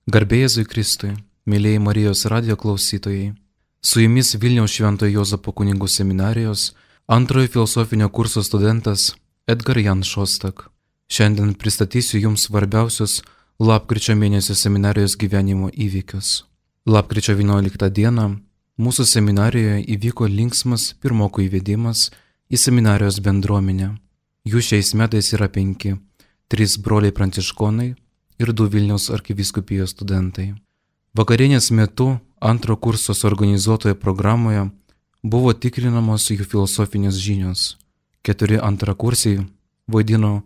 Garbė Jėzui Kristui, mėlyjei Marijos radijo klausytojai, su jumis Vilniaus Šventojo Juozapo kunigų seminarijos antrojo filosofinio kurso studentas Edgar Jan Šostak. Šiandien pristatysiu jums svarbiausius lapkričio mėnesio seminarijos gyvenimo įvykius. Lapkričio 11 dieną mūsų seminarijoje įvyko linksmas pirmokų įvedimas į seminarijos bendruomenę. Jų šiais metais yra 5, 3 broliai pranciškonai ir 2 Vilniaus arkivyskupijos studentai. Vakarienės metu antro kurso suorganizuotoje programoje buvo tikrinamos jų filosofinės žinios. 4 antrakursiai vaidino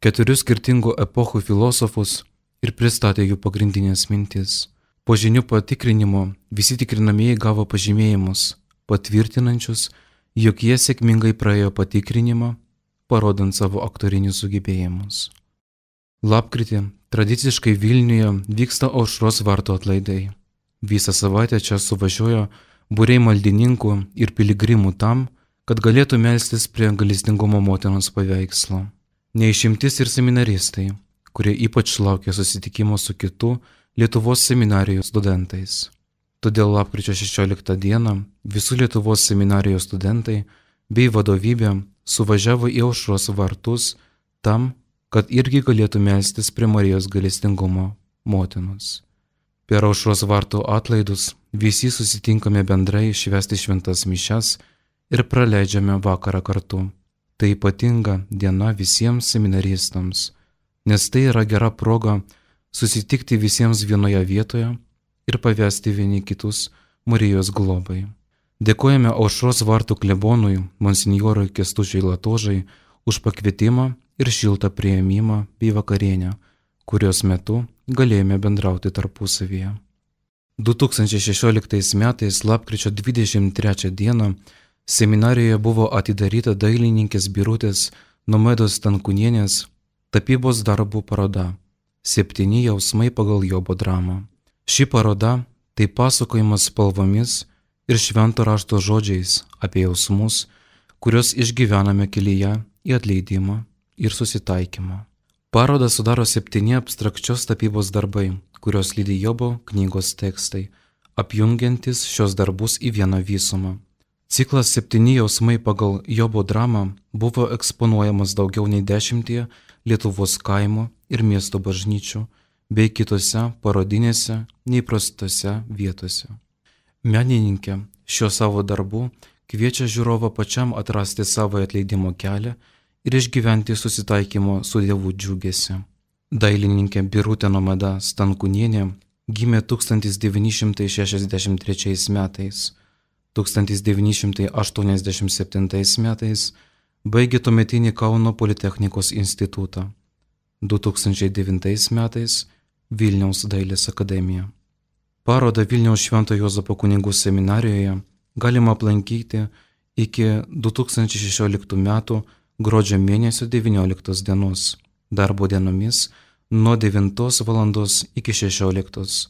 4 skirtingų epochų filosofus ir pristatė jų pagrindinės mintis. Po žinių patikrinimo visi tikrinamieji gavo pažymėjimus, patvirtinančius, jog jie sėkmingai praėjo patikrinimą, parodant savo aktorinius sugebėjimus. Lapkritį tradiciškai Vilniuje vyksta Aušros vartų atlaidai. Visą savaitę čia suvažiuoja būriai maldininkų ir piligrimų tam, kad galėtų melstis prie gailestingumo motinos paveikslo. Neišimtis ir seminaristai, kurie ypač laukia susitikimo su kitų Lietuvos seminarijos studentais. Todėl lapkričio 16 dieną visų Lietuvos seminarijos studentai bei vadovybė suvažiavo į Aušros vartus tam, kad irgi galėtų melstis prie Marijos gailestingumo motinos. Per Aušros vartų atlaidus visi susitinkame bendrai švęsti šventas mišias ir praleidžiame vakarą kartu. Tai ypatinga diena visiems seminaristams, nes tai yra gera proga susitikti visiems vienoje vietoje ir pavesti vieni kitus Marijos globai. Dėkojame Aušros vartų klebonui monsinjorui Kęstučiui Latožai už pakvietimą ir šiltą priėmimą bei vakarienę, kurios metu galėjome bendrauti tarpusavyje. 2016 metais lapkričio 23 dieną seminarijoje buvo atidaryta dailininkės Birutės Nomedos Stankūnienės tapybos darbų paroda 7 jausmai pagal Jobo dramą. Ši paroda tai pasakojimas spalvomis ir švento rašto žodžiais apie jausmus, kuriuos išgyvename kelyje į atleidimą ir susitaikymą. Parodą sudaro 7 abstrakčios tapybos darbai, kurios lydi Jobo knygos tekstai, apjungiantis šios darbus į vieną visumą. Ciklas 7 jausmai pagal Jobo dramą buvo eksponuojamas daugiau nei 10 Lietuvos kaimo ir miesto bažnyčių bei kitose parodinėse neįprastose vietose. Menininkė šio savo darbų kviečia žiūrovą pačiam atrasti savo atleidimo kelią ir išgyventi susitaikymo su Dievu džiugesiu. Dailininkė Birutė Nomeda Stankūnienė gimė 1963 metais. 1987 metais baigė tuometinį Kauno Politechnikos institutą. 2009 metais Vilniaus dailės akademiją. Parodą Vilniaus Šventojo Juozapo kunigų seminarijoje galima aplankyti iki 2016 metų gruodžio mėnesio 19 dienos, darbo dienomis nuo 9 val. Iki 16,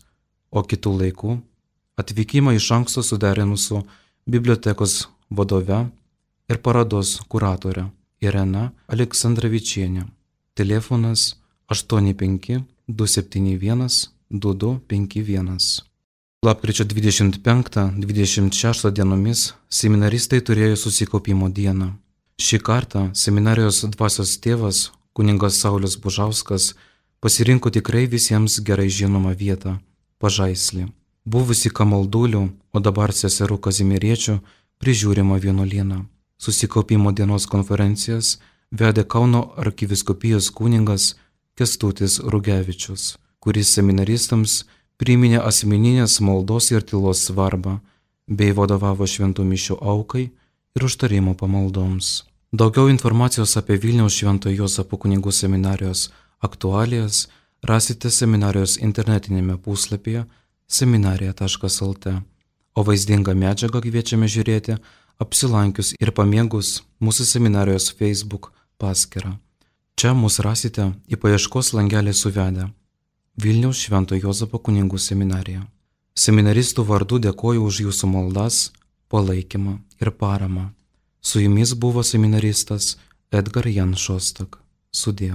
o kitų laikų atvykimą iš anksto suderinus su bibliotekos vadove ir parodos kuratore Irena Aleksandravičienė. Telefonas 85 271 2251. Lapkričio 25-26 dienomis seminaristai turėjo susikaupimo dieną. Šį kartą seminarijos dvasios tėvas, kunigas Saulius Bužauskas, pasirinko tikrai visiems gerai žinomą vietą – Pažaislį, buvusi Kamaldulių, o dabar seserų Kazimieriečių prižiūrima vienuolyną. Susikaupimo dienos konferencijas vedė Kauno arkivyskupijos kunigas Kęstutis Rugevičius, kuris seminaristams priminė asmeninės maldos ir tylos svarbą, bei vadovavo šventų mišių aukai ir užtarimo pamaldoms. Daugiau informacijos apie Vilniaus Šventojo Juozapo kunigų seminarijos aktualijas rasite seminarijos internetinėme puslapyje seminarija.lt, o vaizdingą medžiagą kviečiame žiūrėti apsilankius ir pamėgus mūsų seminarijos Facebook paskyrą. Čia mus rasite į paieškos langelį suvedę Vilniaus Šventojo Juozapo kunigų seminarija. Seminaristų vardu dėkoju už jūsų maldas, palaikymą ir paramą. Su jumis buvo seminaristas Edgar Jan Šostak. Sudie.